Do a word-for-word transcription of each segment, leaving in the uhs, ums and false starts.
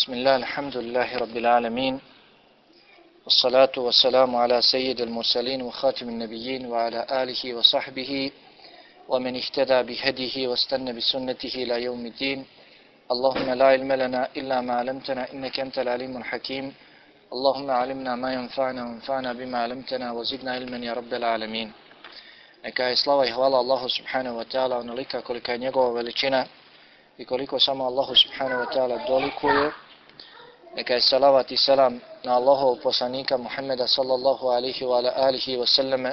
بسم الله الحمد لله رب العالمين والصلاة والسلام على سيد المرسلين وخاتم النبيين وعلى آله وصحبه ومن اهتدى بهديه واستنى بسنته إلى يوم الدين. اللهم لا علم لنا إلا ما علمتنا إنك أنت العليم الحكيم. اللهم علمنا ما ينفعنا وانفعنا بما علمتنا وزدنا علما يا رب العالمين. Neka je slava i hvala Allahu subhanahu wa ta'ala onolika kolika je njegova veličina i koliko samo Allahu subhanahu wa ta'ala dolikuje. Neka je salavat i salam na Allahov poslanika Muhammeda sallallahu alihi wa ala alihi wa sallame,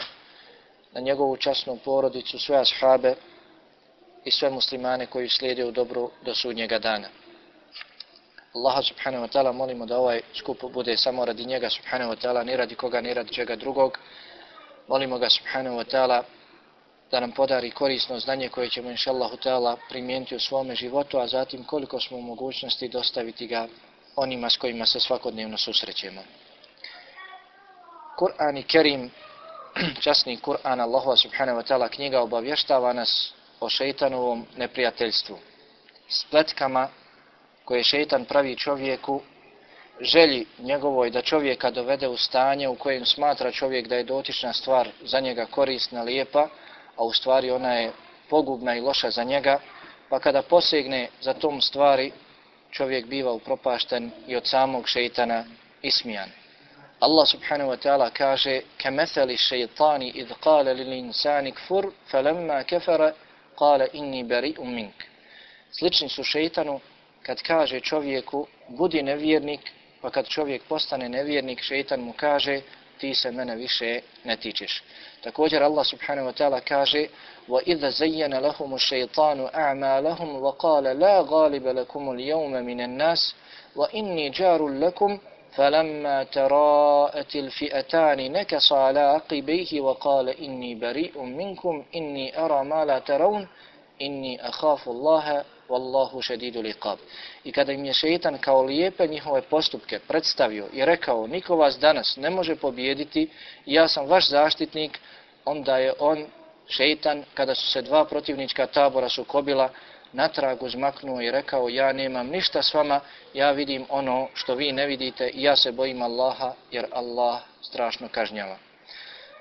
na njegovu časnu porodicu, sve ashabe i sve muslimane koji slijede u dobru do sudnjega dana. Allaha subhanahu wa ta'ala molimo da ovaj skup bude samo radi njega subhanahu wa ta'ala, ni radi koga, ni radi čega drugog. Molimo ga subhanahu wa ta'ala da nam podari korisno znanje koje ćemo inša Allahu ta'ala primijeniti u svome životu, a zatim koliko smo u mogućnosti dostaviti ga onima s kojima se svakodnevno susrećemo. Kur'an i Kerim, časni Kur'an Allahova subhanahu wa ta'ala knjiga, obavještava nas o šeitanovom neprijateljstvu, spletkama koje šeitan pravi čovjeku, želji njegovoj da čovjeka dovede u stanje u kojem smatra čovjek da je dotična stvar za njega korisna, lijepa, a u stvari ona je pogubna i loša za njega, pa kada posegne za tom stvari, čovjek biva upropašten i od samog šeitana ismijan. Allah subhanahu wa ta'ala kaže: "Kamathali shaytani idh qala lil insani kfur falamma kafara qala inni bari'un mink." Slični su šeitanu kad kaže čovjeku budi nevjernik, pa kad čovjek postane nevjernik, šeitan mu kaže ti se mene više ne tičeš. Također Allah subhanahu wa ta'ala kaže: وَإِذَا زَيَّنَ لَهُمُ الشَّيْطَانُ أَعْمَالَهُمْ وَقَالَ لَا غَالِبَ لَكُمُ الْيَوْمَ مِنَ النَّاسِ وَإِنِّي جَارٌ لَكُمْ فَلَمَّا تَرَاءَتِ الْفِئَتَانِ نَكَصَ عَلَى عَقِبَيْهِ وَقَالَ إِنِّي بَرِيءٌ مِنْكُمْ إِنِّي أَرَى مَا لَا تَرَوْنَ إِنِّي أَخَافُ اللَّهَ Wallahu šedidul iqab. I kada im je šeitan kao lijepe njihove postupke predstavio i rekao niko vas danas ne može pobijediti, ja sam vaš zaštitnik, onda je on, šeitan, kada su se dva protivnička tabora sukobila, natrag uzmaknuo i rekao ja nemam ništa s vama, ja vidim ono što vi ne vidite i ja se bojim Allaha jer Allah strašno kažnjava.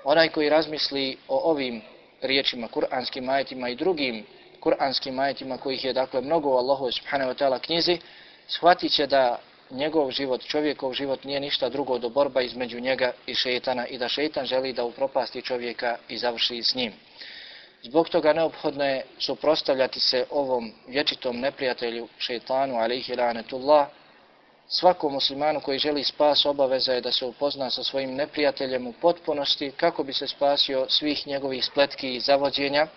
Onaj koji razmisli o ovim riječima, kuranskim ajetima i drugim kuranskim ajetima kojih je dakle mnogo u Allahu subhanahu wa ta'ala knjizi, shvatit će da njegov život, čovjekov život nije ništa drugo do borba između njega i šeitana i da šeitan želi da upropasti čovjeka i završi s njim. Zbog toga neophodno je suprotstavljati se ovom vječitom neprijatelju šeitanu alejhi lanetullah. Svakom muslimanu koji želi spas obaveza je da se upozna sa svojim neprijateljem u potpunosti kako bi se spasio svih njegovih spletki i zavođenja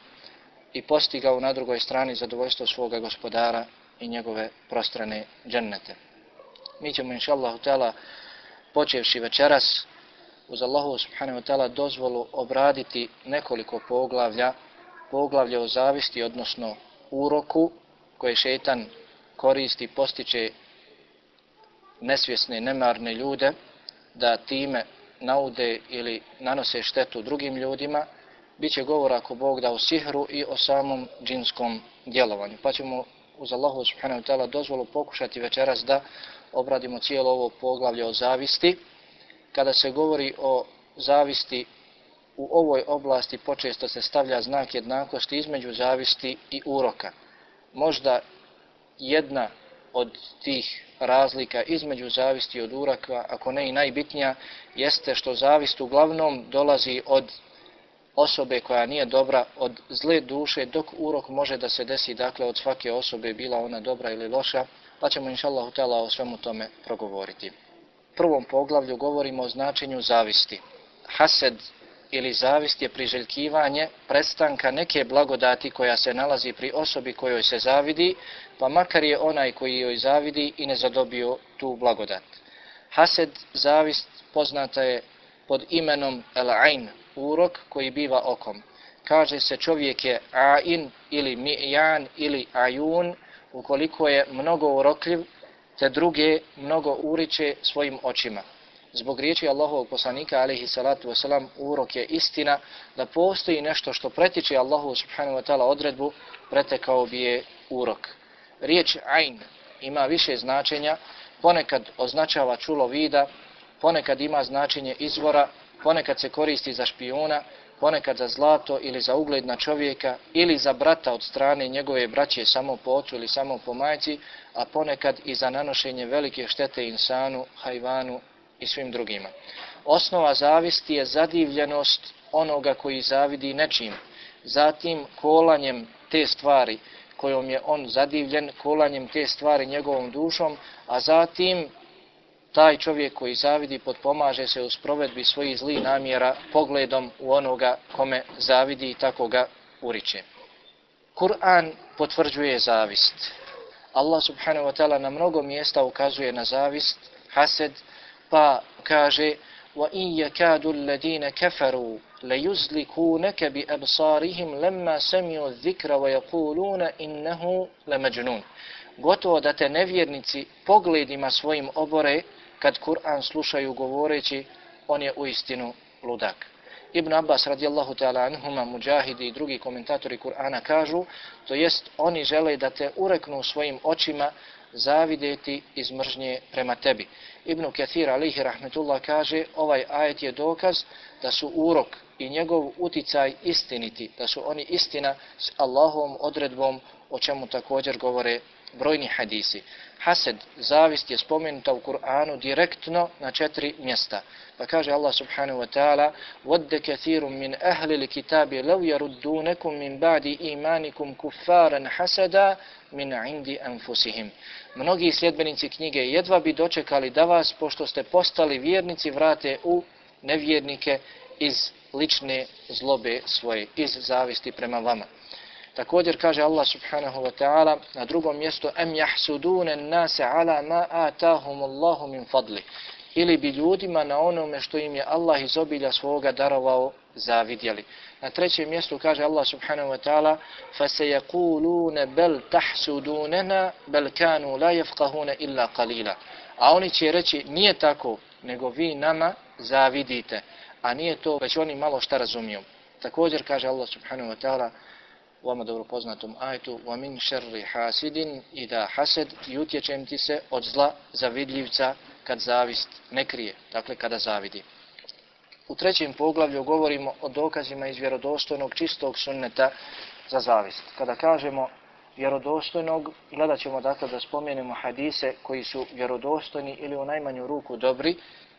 i postigao na drugoj strani zadovoljstvo svoga gospodara i njegove prostrane džennete. Mi ćemo inša Allahu ta'ala počevši večeras uz Allahu subhanahu wa ta'ala dozvolu obraditi nekoliko poglavlja, poglavlje o zavisti, odnosno uroku koje šeitan koristi, postiče nesvjesne, nemarne ljude da time naude ili nanose štetu drugim ljudima. Biće govora ako Bog da o sihru i o samom džinskom djelovanju. Pa ćemo uz Allahu subhanahu wa ta'ala dozvolu pokušati večeras da obradimo cijelo ovo poglavlje o zavisti. Kada se govori o zavisti u ovoj oblasti počesto se stavlja znak jednakosti između zavisti i uroka. Možda jedna od tih razlika između zavisti i od uroka, ako ne i najbitnija, jeste što zavist uglavnom dolazi od osobe koja nije dobra, od zle duše, dok urok može da se desi dakle od svake osobe, bila ona dobra ili loša, pa ćemo inša Allahu ta'ala o svemu tome progovoriti. U prvom poglavlju govorimo o značenju zavisti. Hased ili zavist je priželjkivanje prestanka neke blagodati koja se nalazi pri osobi kojoj se zavidi, pa makar je onaj koji joj zavidi i ne zadobio tu blagodat. Hased, zavist, poznata je pod imenom el-ain, urok koji biva okom. Kaže se čovjek je ain ili mi'jan ili ajun ukoliko je mnogo urokljiv, te druge mnogo uriče svojim očima. Zbog riječi Allahovog poslanika alejhi salatu vesselam, urok je istina, da postoji nešto što pretiče Allahu subhanahu wa ta'ala odredbu, pretekao bi je urok. Riječ ain ima više značenja, ponekad označava čulo vida, ponekad ima značenje izvora, ponekad se koristi za špijuna, ponekad za zlato ili za ugled na čovjeka ili za brata od strane njegove braće samo po ocu ili samo po majci, a ponekad i za nanošenje velike štete insanu, hajvanu i svim drugima. Osnova zavisti je zadivljenost onoga koji zavidi nečim, zatim kolanjem te stvari kojom je on zadivljen, kolanjem te stvari njegovom dušom, a zatim taj čovjek koji zavidi potpomaže se u sprovedbi svojih zlih namjera pogledom u onoga kome zavidi i tako ga uriče. Kur'an potvrđuje zavist. Allah subhanahu wa ta'ala na mnogo mjesta ukazuje na zavist, hased, pa kaže وَإِنْ يَكَادُ الَّذِينَ كَفَرُوا لَيُزْلِكُونَكَ بِأَبْصَارِهِمْ لَمَّا سَمِعُوا الذِّكْرَ وَيَقُولُونَ إِنَّهُ لَمَجْنُونَ. Gotovo da te nevjernici pogledima svojim obore kad Kur'an slušaju govoreći on je uistinu ludak. Ibn Abbas radijallahu ta'ala anhuma, Mujahidi i drugi komentatori Kur'ana kažu, to jest oni žele da te ureknu svojim očima zavideti iz mržnje prema tebi. Ibn Kathir alihi rahmetullah kaže, ovaj ajet je dokaz da su urok i njegov uticaj istiniti, da su oni istina s Allahovom odredbom, o čemu također govore brojni hadisi. Hased, zavist je spomenuta u Kur'anu direktno na četiri mjesta. Pa kaže Allah subhanahu wa ta'ala وَدَّ كَثِيرٌ مِنْ أَهْلِ الْكِتَابِ لَوْ يَرُدُّونَكُمْ مِنْ بَعْدِ إِيمَانِكُمْ كُفَّارًا حَسَدًا مِنْ عِنْدِ أَنفُسِهِمْ. Mnogi sljedbenici knjige jedva bi dočekali da vas, pošto ste postali vjernici, vrate u nevjernike iz lične zlobe svoje, iz zavisti prema vama. Također kaže Allah subhanahu wa ta'ala na drugom mjestu em jahsudune nase ala ma atahum Allahu min fadli. Ili bi ljudima na onome što im je Allah iz obilja svoga darovao zavidjeli. Na trećem mjestu kaže Allah subhanahu wa ta'ala فَسَيَقُولُونَ بَلْ تَحْسُدُونَنَا بَلْ كَانُوا لَا يَفْقَهُونَ إِلَّا قَلِيلًا. A oni će reći nije tako, nego vi nama zavidite, a nije to, već oni malo šta razumiju. Također kaže Allah subhanahu wa ta'ala u vama dobro poznatom ajetu وَمِنْ شَرِّ حَاسِدٍ إِذَا حَسَدْ i utječem ti se od zla zavidljivca kad zavist ne krije, dakle kada zavidi. U trećem poglavlju govorimo o dokazima iz vjerodostojnog čistog sunneta za zavist. Kada kažemo vjerodostojnog, gledat ćemo dakle da spomenemo hadise koji su vjerodostojni ili u najmanju ruku dobri,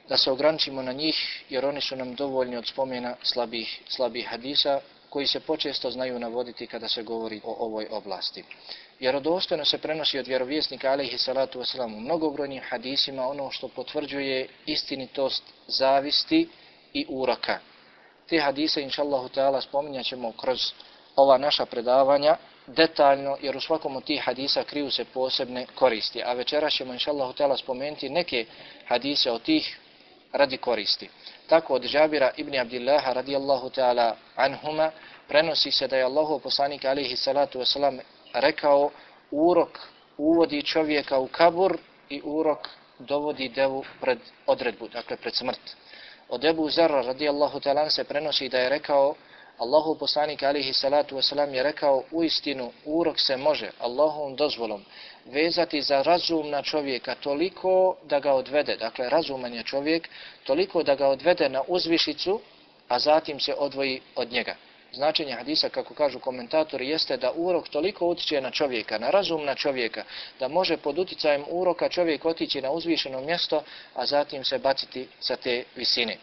da se ograničimo na njih jer oni su nam dovoljni od spomena slabih, slabih hadisa koji se počesto znaju navoditi kada se govori o ovoj oblasti. Vjerodostojno se prenosi od vjerovjesnika alejhi salatu vesselam u mnogobrojnim hadisima ono što potvrđuje istinitost zavisti i uroka. Te hadise inšallahu ta'ala spominjat ćemo kroz ova naša predavanja detaljno, jer u svakom od tih hadisa kriju se posebne koristi. A večeras ćemo inšallahu ta'ala spomenuti neke hadise od tih radi koristi. Tako od Džabira ibn Abdillaha radijallahu ta'ala anhuma prenosi se da je Allahov poslanik alejhi salatu vesselam rekao urok uvodi čovjeka u kabur i urok dovodi devu pred odredbu, dakle pred smrt. Od Ebu Zerra radijallahu ta'ala se prenosi da je rekao Allahov poslanik alejhi salatu vesselam je rekao uistinu urok se može Allahovom dozvolom vezati za razumna čovjeka toliko da ga odvede, dakle razuman je čovjek, toliko da ga odvede na uzvišicu, a zatim se odvoji od njega. Značenje hadisa, kako kažu komentatori, jeste da urok toliko utiče na čovjeka, na razumna čovjeka, da može pod uticajem uroka čovjek otići na uzvišeno mjesto, a zatim se baciti sa te visine.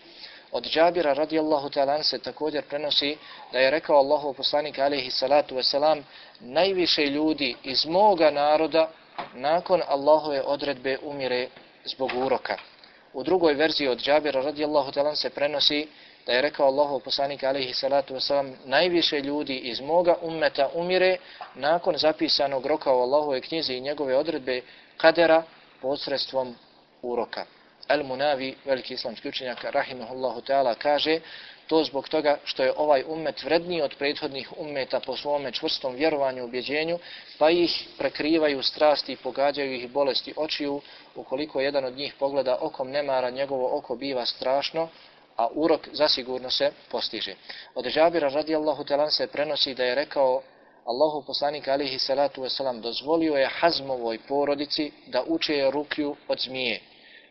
Od Džabira radijallahu ta'ala se također prenosi da je rekao Allahov poslanik alejhi salatu vesselam najviše ljudi iz moga naroda nakon Allahove odredbe umire zbog uroka. U drugoj verziji od Džabira radijallahu ta'ala se prenosi da je rekao Allahov poslanik alejhi salatu vesselam najviše ljudi iz moga ummeta umire nakon zapisanog roka u Allahovoj knjizi i njegove odredbe kadera posredstvom uroka. Al-Munavi, veliki islamski učenjak, rahimahullahu ta'ala, kaže to zbog toga što je ovaj ummet vredniji od prethodnih ummeta po svome čvrstom vjerovanju i ubjeđenju, pa ih prekrivaju strasti i pogađaju ih bolesti očiju. Ukoliko jedan od njih pogleda okom nemara, njegovo oko biva strašno, a urok zasigurno se postiže. Od Džabira radijallahu ta'ala se prenosi da je rekao Allahu poslanik alejhi salatu vesselam dozvolio je Hazmovoj porodici da uče rukju od zmije.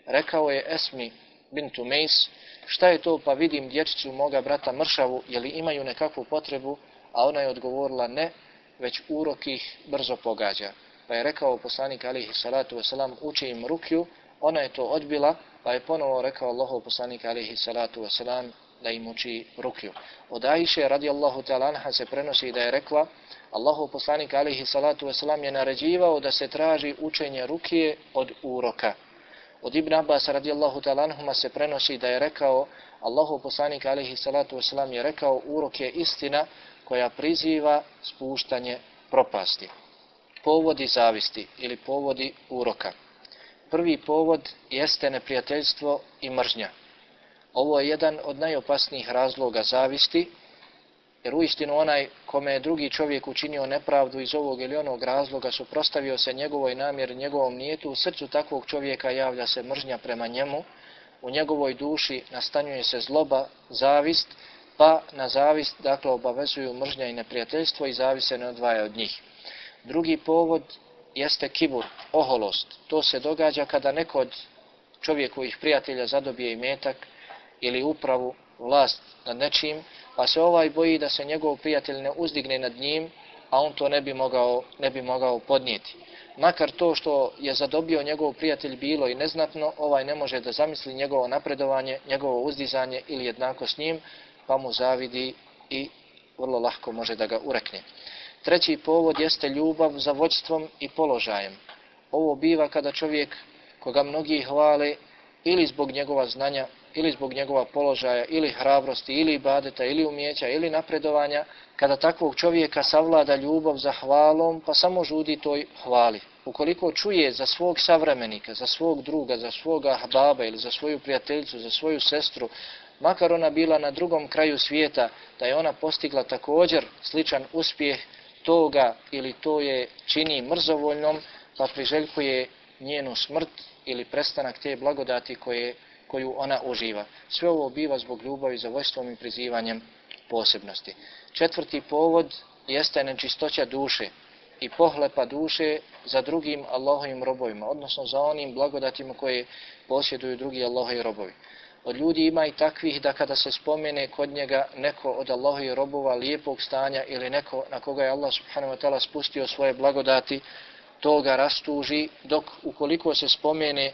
Rekao je Esmi bintu Mejs, šta je to, pa vidim dječicu moga brata mršavu, je li imaju nekakvu potrebu, a ona je odgovorila ne, već urok ih brzo pogađa. Pa je rekao poslanik alejhi salatu vesselam, uči im rukju, ona je to odbila, pa je ponovo rekao Allahov poslanik alejhi salatu vesselam da im uči rukju. Od Ajše radijallahu ta'ala anha se prenosi da je rekla, Allahov poslanik alejhi salatu vesselam je naređivao da se traži učenje rukje od uroka. Od Ibn Abbas radijallahu ta'ala anhuma se prenosi da je rekao, Allahov poslanik alejhi salatu vesselam je rekao, urok je istina koja priziva spuštanje propasti. Povodi zavisti ili povodi uroka. Prvi povod jeste neprijateljstvo i mržnja. Ovo je jedan od najopasnijih razloga zavisti, jer uistinu onaj kome je drugi čovjek učinio nepravdu iz ovog ili onog razloga, suprotstavio se njegovoj namjeri, njegovom nijetu, u srcu takvog čovjeka javlja se mržnja prema njemu, u njegovoj duši nastanjuje se zloba, zavist, pa na zavist dakle obavezuju mržnja i neprijateljstvo i zavist se ne odvaja od njih. Drugi povod jeste kibur, oholost. To se događa kada neko od čovjekovih prijatelja zadobije imetak ili upravu, vlast nad nečim, pa se ovaj boji da se njegov prijatelj ne uzdigne nad njim, a on to ne bi mogao, ne bi mogao podnijeti. Makar to što je zadobio njegov prijatelj bilo i neznatno, ovaj ne može da zamisli njegovo napredovanje, njegovo uzdizanje ili jednako s njim, pa mu zavidi i vrlo lahko može da ga urekne. Treći povod jeste ljubav za vođstvom i položajem. Ovo biva kada čovjek koga mnogi hvale ili zbog njegova znanja, ili zbog njegova položaja, ili hrabrosti, ili ibadeta, ili umijeća, ili napredovanja, kada takvog čovjeka savlada ljubav za hvalom, pa samo žudi toj hvali. Ukoliko čuje za svog savremenika, za svog druga, za svoga ahbaba ili za svoju prijateljicu, za svoju sestru, makar ona bila na drugom kraju svijeta, da je ona postigla također sličan uspjeh toga ili to je čini mrzovoljnom, pa priželjkuje njenu smrt ili prestanak te blagodati koje, koju ona uživa. Sve ovo biva zbog ljubavi za vođstvom i prizivanjem posebnosti. Četvrti povod jeste nečistoća duše i pohlepa duše za drugim Allahovim robovima, odnosno za onim blagodatima koje posjeduju drugi Allahovi robovi. Od ljudi ima i takvih da kada se spomene kod njega neko od Allahovih robova lijepog stanja ili neko na koga je Allah subhanahu wa ta'ala spustio svoje blagodati, to ga rastuži, dok ukoliko se spomene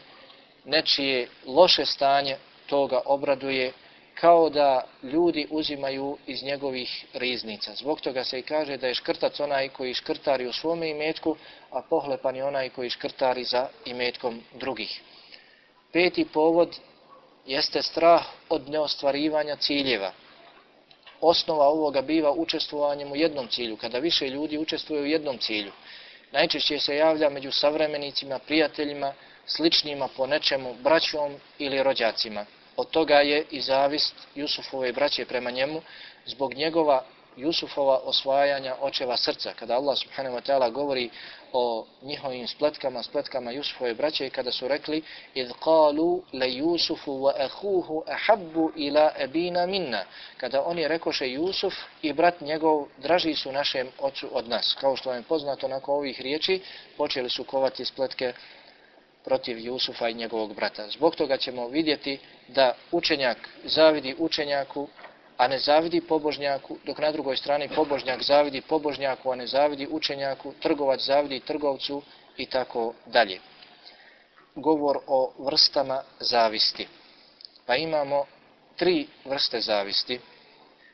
nečije loše stanje, to ga obraduje, kao da ljudi uzimaju iz njegovih riznica. Zbog toga se i kaže da je škrtac onaj koji škrtari u svome imetku, a pohlepan je onaj koji škrtari za imetkom drugih. Peti povod jeste strah od neostvarivanja ciljeva. Osnova ovoga biva učestvovanjem u jednom cilju, kada više ljudi učestvuje u jednom cilju. Najčešće se javlja među savremenicima, prijateljima, sličnima po nečemu, braćom ili rođacima. Od toga je i zavist Jusufove braće prema njemu, zbog njegova Jusufova osvajanja očeva srca. Kada Allah subhanahu wa ta'ala govori o njihovim spletkama, spletkama Jusufove braće, kada su rekli idh qalu la Yusufu wa akhuhu ahabbu ila abina minna, kada oni rekoše Jusuf i brat njegov draži su našem ocu od nas. Kao što vam je poznato, nakon ovih riječi počeli su kovati spletke protiv Jusufa i njegovog brata. Zbog toga ćemo vidjeti da učenjak zavidi učenjaku, a ne zavidi pobožnjaku, dok na drugoj strani pobožnjak zavidi pobožnjaku, a ne zavidi učenjaku, trgovac zavidi trgovcu i tako dalje. Govor o vrstama zavisti. Pa imamo tri vrste zavisti.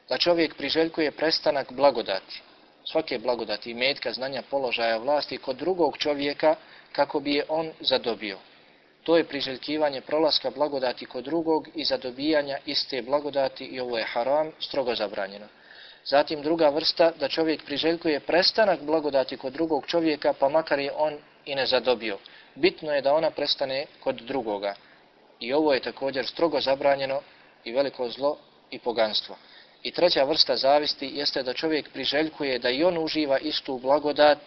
Da čovjek priželjkuje prestanak blagodati, svake blagodati, imetka, znanja, položaja, vlasti kod drugog čovjeka kako bi je on zadobio. To je priželjkivanje prolaska blagodati kod drugog i zadobijanja iste blagodati i ovo je haram, strogo zabranjeno. Zatim druga vrsta, da čovjek priželjkuje prestanak blagodati kod drugog čovjeka, pa makar je on i ne zadobio. Bitno je da ona prestane kod drugoga. I ovo je također strogo zabranjeno i veliko zlo i poganstvo. I treća vrsta zavisti jeste da čovjek priželjkuje da i on uživa istu blagodat,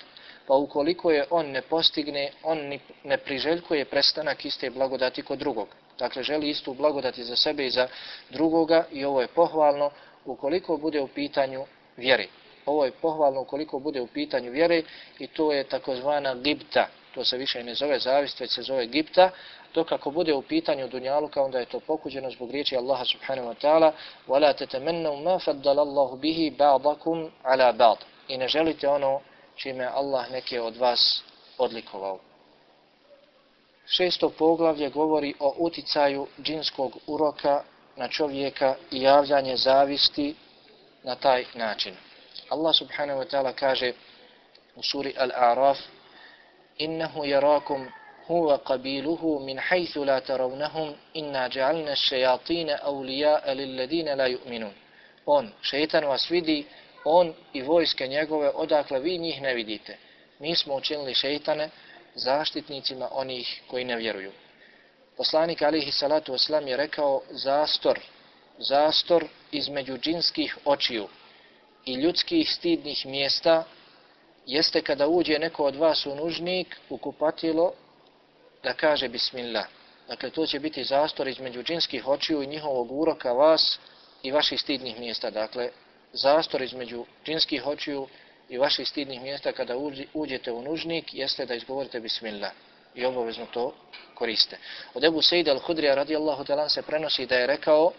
pa ukoliko je on ne postigne, on ne priželjkuje prestanak iste blagodati kod drugog. Dakle, želi istu blagodati za sebe i za drugoga i ovo je pohvalno ukoliko bude u pitanju vjeri. Ovo je pohvalno ukoliko bude u pitanju vjere i to je takozvana gibta. To se više ne zove zavist, već se zove gibta. Dok ako bude u pitanju dunjaluka, onda je to pokuđeno zbog riječi Allaha subhanahu wa ta'ala وَلَا تَتَمَنَّوْا مَا فَضَّلَ اللَّهُ بِهِ بَعْضَكُمْ عَلَى بَعْضٍ. I ne želite ono čime Allah neke od vas odlikovao. Šesto poglavlje govori o uticaju džinskog uroka na čovjeka i javljanje zavisti na taj način. Allah subhanahu wa ta'ala kaže u suri Al-A'raf innahu yarakum huwa qabiluhu min haythu la tarawnahum inna ja'alna ash-shayatina awliya'a lil-ladina la yu'minun. On, šejtan vas vidi, on i vojske njegove odakle vi njih ne vidite. Mi smo učinili šejtane zaštitnicima onih koji ne vjeruju. Poslanik alihi salatu wasalam je rekao zastor, zastor između džinskih očiju i ljudskih stidnih mjesta jeste kada uđe neko od vas u nužnik, u kupatilo, da kaže bismillah. Dakle, to će biti zastor između džinskih očiju i njihovog uroka vas i vaših stidnih mjesta. Dakle, zastor između džinskih očiju i vaših stidnih mjesta kada uđete u nužnik jeste da izgovorite bismillah i obavezno to koriste. Od Ebu Sejda al-Hudrija radijallahu ta'ala se prenosi da je rekao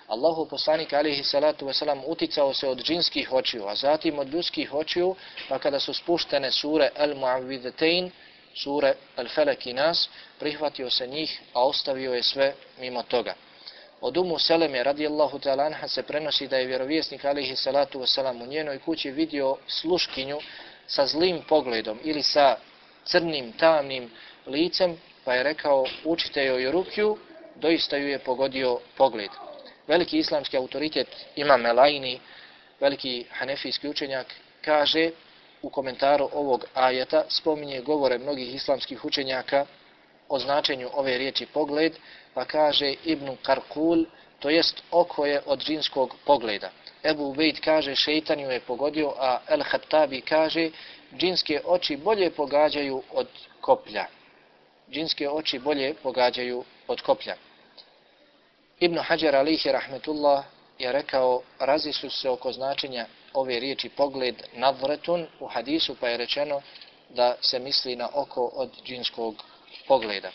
Allahu poslanik alihi salatu wasalam uticao se od džinskih očiju, a zatim od ljudskih očiju, pa kada su spuštene sure Al-Mu'awwidhatayn, sure Al-Falak i Nas, prihvatio se njih, a ostavio je sve mimo toga. Od Umu Seleme radijallahu ta'ala anha se prenosi da je vjerovjesnik alihi salatu wasalam u njenoj kući vidio sluškinju sa zlim pogledom ili sa crnim, tamnim licem, pa je rekao učite joj rukju, doista ju je pogodio pogled. Veliki islamski autoritet Imam Elaini, veliki hanefijski učenjak, kaže u komentaru ovog ajeta, spominje govore mnogih islamskih učenjaka o značenju ove riječi pogled, pa kaže Ibn Karkul, to jest oko je od džinskog pogleda. Ebu Ubejd kaže šeitan ju je pogodio, a El-Hattabi kaže džinske oči bolje pogađaju od koplja. Džinske oči bolje pogađaju od koplja. Ibn Hajar alihi rahmetullah je rekao, razišli su se oko značenja ove riječi pogled nadvretun u hadisu, pa je rečeno da se misli na oko od džinskog pogleda.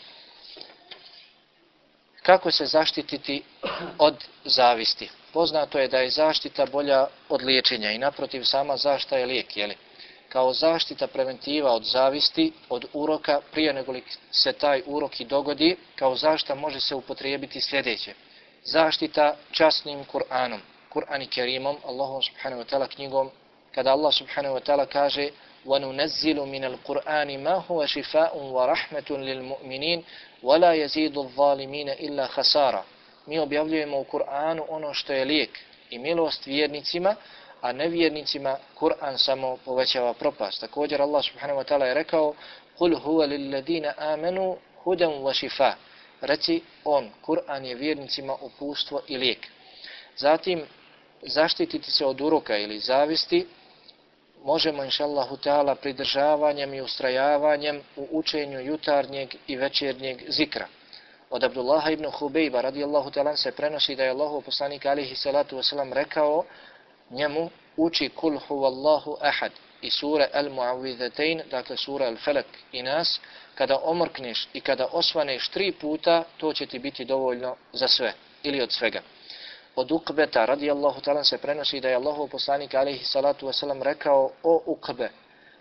Kako se zaštititi od zavisti? Poznato je da je zaštita bolja od liječenja i naprotiv sama zaštita je lijek, jeli? Kao zaštita preventiva od zavisti, od uroka, prije nego li se taj urok i dogodi, kao zaštita može se upotrijebiti sljedeće. Zaštita časnim Kur'anom, Kur'an i Kerimom, Allahom subhanahu wa ta'ala knjigom, kada Allah subhanahu wa ta'ala kaže وَنُنَزِّلُ مِنَ الْقُرْآنِ مَا هُوَ شِفَاءٌ وَرَحْمَةٌ لِلْمُؤْمِنِينَ وَلَا يَزِيدُ الظَّالِمِينَ إِلَّا خَسَارًا. Mi objavljujemo u Kur'anu ono što je lijek i milost vjernicima, a nevjernicima Kur'an samo povećava propast. Također Allah subhanahu wa ta'ala je rekao قُلْ هُوَ لِلَّذِينَ آمَنُوا هُدًى وَشِفَاءٌ. Reci on, Kur'an je vjernicima upustvo i lijek. Zatim, zaštititi se od uroka ili zavisti možemo inšallahu ta'ala pridržavanjem i ustrajavanjem u učenju jutarnjeg i večernjeg zikra. Od Abdullaha ibn Hubejba radijallahu ta'ala se prenosi da je Allahov poslanik alihi salatu wasalam rekao njemu uči kul huvallahu ahad i sure Al-Mu'awwidhatayn, dakle sura Al-Falak i Nas, kada omrkneš i kada osvaneš tri puta, to će ti biti dovoljno za sve ili od svega. Od Uqbeta radijallahu ta'ala se prenosi da je Allahov poslanik alihi salatu wasalam rekao o Uqbe,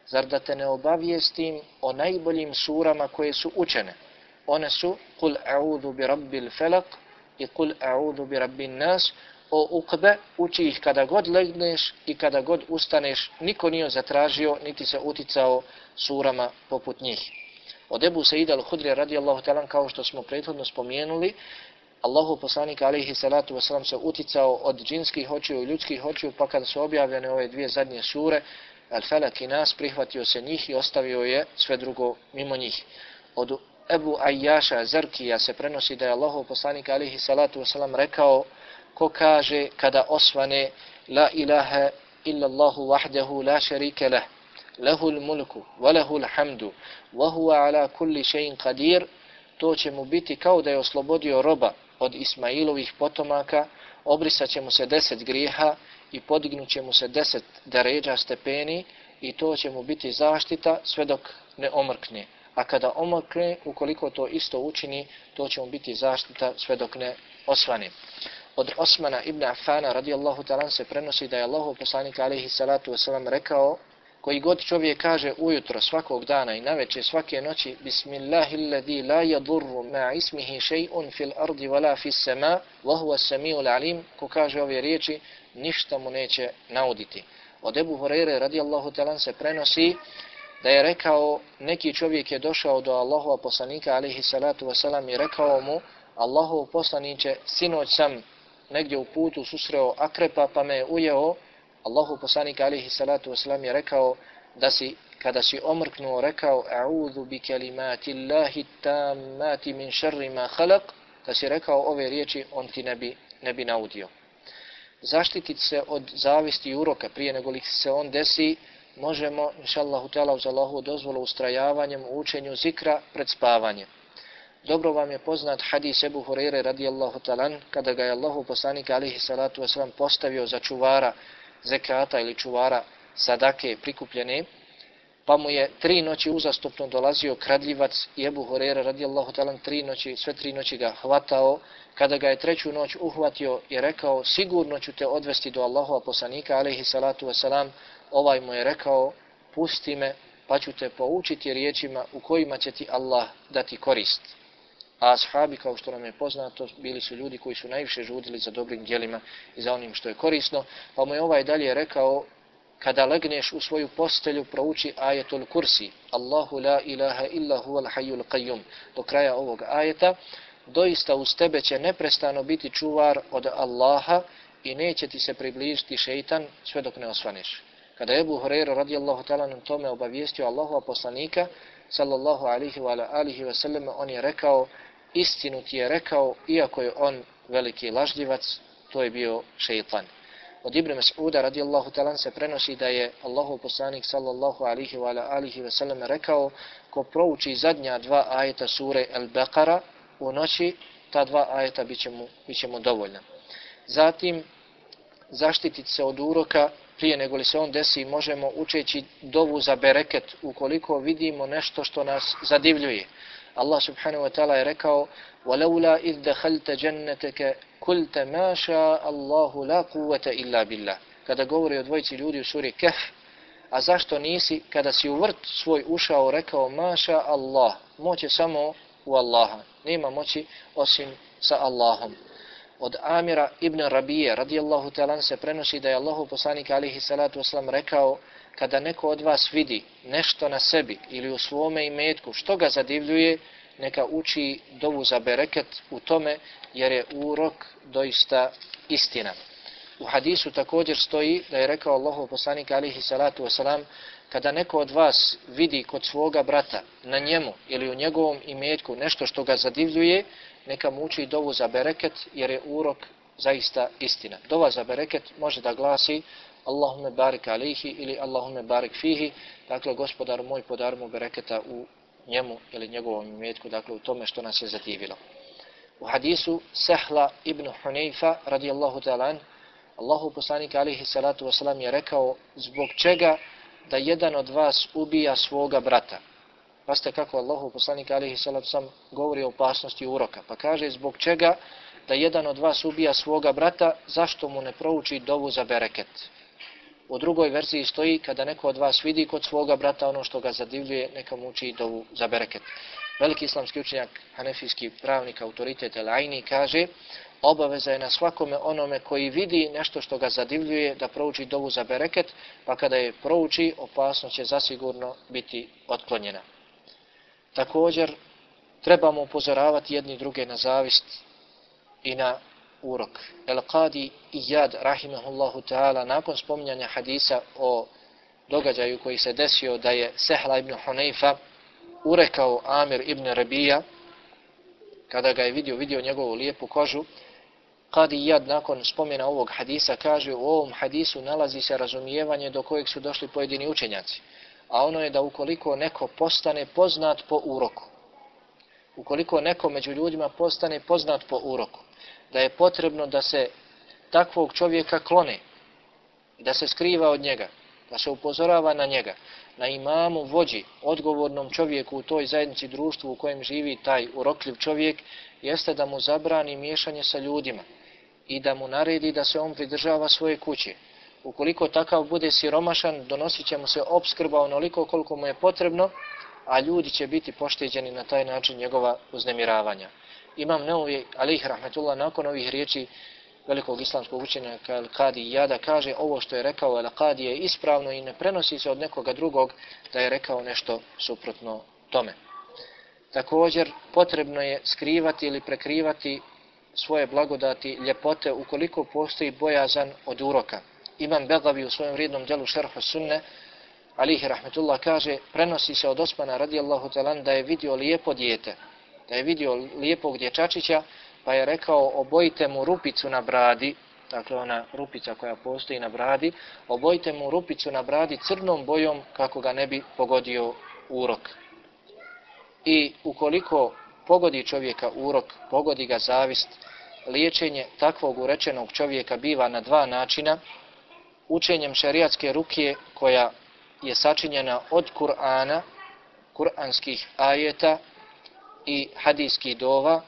zar da te ne obavijestim o najboljim surama koje su učene? One su Kul a'udhu bi rabbil falak i Kul a'udhu bi rabbin nas. O Uqbe, uči ih kada god legneš i kada god ustaneš, niko nije zatražio niti se uticao surama poput njih. Od Ebu Sejda al-Hudrija radijallahu ta'ala, kao što smo prethodno spomenuli, Allahu poslanik alihi salatu wasalam se uticao od džinskih očiju i ljudskih očiju, pa kada su objavljene ove dvije zadnje sure, Al-Falak i Nas, prihvatio se njih i ostavio je sve drugo mimo njih. Od Ebu Ajjaša Zarkija se prenosi da je Allahu poslanik alihi salatu wasalam rekao ko kaže kada osvane la ilaha illallahu wahdahu la sharika lah, lahul mulku wa lahul hamdu wa huwa ala kulli shay'in qadir, to će mu biti kao da je oslobodio roba od Ismailovih potomaka, obrisat će mu se deset grijeha i podignut će mu se deset deređa stepeni i to će mu biti zaštita sve dok ne omrkne. A kada omrkne, ukoliko to isto učini, to će mu biti zaštita sve dok ne osvane. Od Osmana ibn Affana radijallahu ta'ala se prenosi da je Allahov poslanik alejhi salatu vesselam rekao: koji god čovjek kaže ujutro svakog dana i navečer svake noći Bismillahilladzi la yadurru ma ismihi shay'un fil ardi wala fis sama wa huwa as-sami'ul alim, ko kaže ove riječi ništa mu neće nauditi. Od Ebu Hurajre radijallahu ta'ala se prenosi da je rekao: neki čovjek je došao do Allahova poslanika alejhi salatu vesselam i rekao mu: Allahov poslanice, sinoć sam negdje u putu susreo akrepa pa me je ujeo. Allahu poslanik alejhi salatu vesselam je rekao da si kada si omrknuo rekao a'udhu bi kalimati Allahi tammati min sharri ma khalaq, da si rekao ove riječi, on ti ne bi, ne bi naudio. Zaštititi se od zavisti i uroka prije nego li se on desi možemo, inšallahu ta'ala, uz Allahu dozvolu ustrajavanjem u učenju zikra pred spavanjem. Dobro vam je poznat hadis Ebu Hurajre radijallahu ta'ala kada ga je Allahu poslanik alejhi salatu vesselam postavio za čuvara zekata ili čuvara sadake prikupljene, pa mu je tri noći uzastopno dolazio kradljivac i Ebu Hurajra radijallahu ta'ala tri noći, sve tri noći ga hvatao. Kada ga je treću noć uhvatio i rekao: sigurno ću te odvesti do Allahova poslanika alejhi salatu vesselam, ovaj mu je rekao: pusti me pa ću te poučiti riječima u kojima će ti Allah dati korist. A ashabi, kao što nam je poznato, bili su ljudi koji su najviše žudili za dobrim djelima i za onim što je korisno, pa mu je ovaj dalje rekao: kada legneš u svoju postelju, prouči ajetul kursi, Allahu la ilaha illa huwal hayyul qayyum, do kraja ovog ajeta. Doista uz tebe će neprestano biti čuvar od Allaha i neće ti se približiti šeitan sve dok ne osvaneš. Kada je Ebu Hurajra radijallahu ta'ala na tome obavijestio Allahova poslanika sallallahu alihi wa alihi wa sallam, on je rekao: istinu ti je rekao, iako je on veliki lažljivac, to je bio šeitan. Od Ibn Mas'uda radijallahu ta'ala se prenosi da je Allahov poslanik sallallahu alihi wa alihi wa sallam rekao: ko prouči zadnja dva ajeta sure Al-Baqara u noći, ta dva ajeta bit će mu, bit će mu dovoljna. Zatim, zaštititi se od uroka prije nego li se on desi možemo učeći dovu za bereket ukoliko vidimo nešto što nas zadivljuje. Allah subhanahu wa ta'ala je rekao: وَلَوْلَا إِذْ دَخَلْتَ جَنَّتَكَ قُلْتَ مَا شَاءَ اللَّهُ لَا قُوَّةَ إِلَّا بِاللَّهِ. Kada govori o dvojici ljudi u suri Kehf, a zašto nisi kada si u vrt svoj ušao rekao maša Allah, moć je samo u Allaha, nema moći osim sa Allahom. Od Amira ibn Rabije radijallahu ta'ala se prenosi da je Allahov poslanik alejhi salatu vesselam rekao: kada neko od vas vidi nešto na sebi ili u svome imetku što ga zadivljuje, neka uči dovu za bereket u tome, jer je urok doista istina. U hadisu također stoji da je rekao Allahov poslanik alejhi salatu vesselam: kada neko od vas vidi kod svoga brata na njemu ili u njegovom imetku nešto što ga zadivljuje, neka mu uči dovu za bereket, jer je urok zaista istina. Dova za bereket može da glasi Allahumme barik alejhi ili Allahumme barik fihi, dakle gospodaru moj podari mu bereketa u njemu ili njegovom imetku, dakle u tome što nas je zadivilo. U hadisu Sehla ibn Hunayfa radijallahu ta'ala an, Allahu poslanik alejhi salatu vesselam je rekao: zbog čega da jedan od vas ubija svoga brata? Pazite kako Allahu poslanik alejhi salatu vesselam govori o opasnosti uroka, pa kaže: zbog čega da jedan od vas ubija svoga brata, zašto mu ne prouči dovu za bereket? U drugoj verziji stoji: kada neko od vas vidi kod svoga brata ono što ga zadivljuje, neka mu uči dovu za bereket. Veliki islamski učenjak, hanefijski pravnik, autoritet El-Aini kaže: obaveza je na svakome onome koji vidi nešto što ga zadivljuje da prouči dovu za bereket, pa kada je prouči, opasnost će zasigurno biti otklonjena. Također, trebamo upozoravati jedni druge na zavist i na urok. El-Qadi Iyad rahimahullahu ta'ala nakon spominjanja hadisa o događaju koji se desio da je Sehla ibn Hunayfa urekao Amir ibn Rabija, kada ga je vidio, vidio njegovu lijepu kožu, Qadi Iyad nakon spomena ovog hadisa kaže: u ovom hadisu nalazi se razumijevanje do kojeg su došli pojedini učenjaci, a ono je da ukoliko neko postane poznat po uroku, ukoliko neko među ljudima postane poznat po uroku, da je potrebno da se takvog čovjeka klone, da se skriva od njega, da se upozorava na njega, na imamu, vođi, odgovornom čovjeku u toj zajednici, društvu u kojem živi taj urokljiv čovjek, jeste da mu zabrani miješanje sa ljudima i da mu naredi da se on pridržava svoje kuće. Ukoliko takav bude siromašan, donosit će mu se opskrba onoliko koliko mu je potrebno, a ljudi će biti pošteđeni na taj način njegova uznemiravanja. Imam Neovi, alejhi rahmetullah, nakon ovih riječi velikog islamskog učenjaka Al-Qadi Iyada kaže ovo što je rekao Al-Qadi je ispravno i ne prenosi se od nekoga drugog da je rekao nešto suprotno tome. Također potrebno je skrivati ili prekrivati svoje blagodati, ljepote ukoliko postoji bojazan od uroka. Imam Begavi u svojem vrijednom djelu Šerhu Sunne, alejhi rahmetullah, kaže prenosi se od Osmana radijallahu talan da je vidio lijepo dijete, da je vidio lijepog dječačića, pa je rekao obojite mu rupicu na bradi, dakle ona rupica koja postoji na bradi, obojite mu rupicu na bradi crnom bojom kako ga ne bi pogodio urok. I ukoliko pogodi čovjeka urok, pogodi ga zavist, liječenje takvog urečenog čovjeka biva na dva načina, učenjem šerijatske rukije koja je sačinjena od Kur'ana, kuranskih ajeta i hadijskih dova,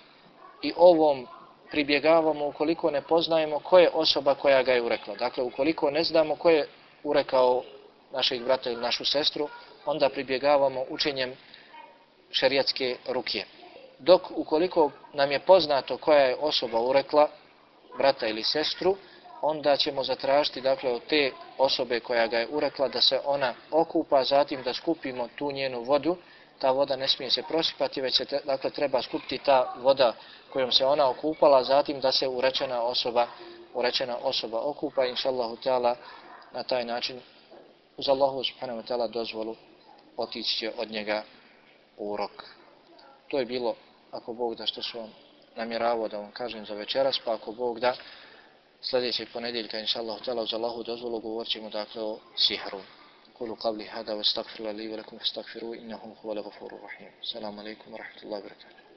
i ovom pribjegavamo ukoliko ne poznajemo ko je osoba koja ga je urekla. Dakle, ukoliko ne znamo ko je urekao našeg brata ili našu sestru, onda pribjegavamo učenjem šerijatske rukije. Dok ukoliko nam je poznato koja je osoba urekla brata ili sestru, onda ćemo zatražiti, dakle, od te osobe koja ga je urekla da se ona okupa, zatim da skupimo tu njenu vodu. Ta voda ne smije se prosipati, već se, dakle, treba skupiti ta voda kojom se ona okupala, zatim da se urečena osoba, urečena osoba okupa, inšallahu ta'ala, na taj način, uz Allahu subhanahu wa ta'ala dozvolu, otići će od njega urok. To je bilo, ako Bog da, što su vam namjeravao da vam kažem za večeras, pa ako Bog da, sljedećeg ponedjeljka, inšallahu ta'ala, uz Allahu dozvolu, govorit ćemo, dakle, o sihru. قولوا قولي هذا واستغفر لي ولكم فاستغفروه إنه هو الغفور الرحيم. السلام عليكم ورحمة الله وبركاته.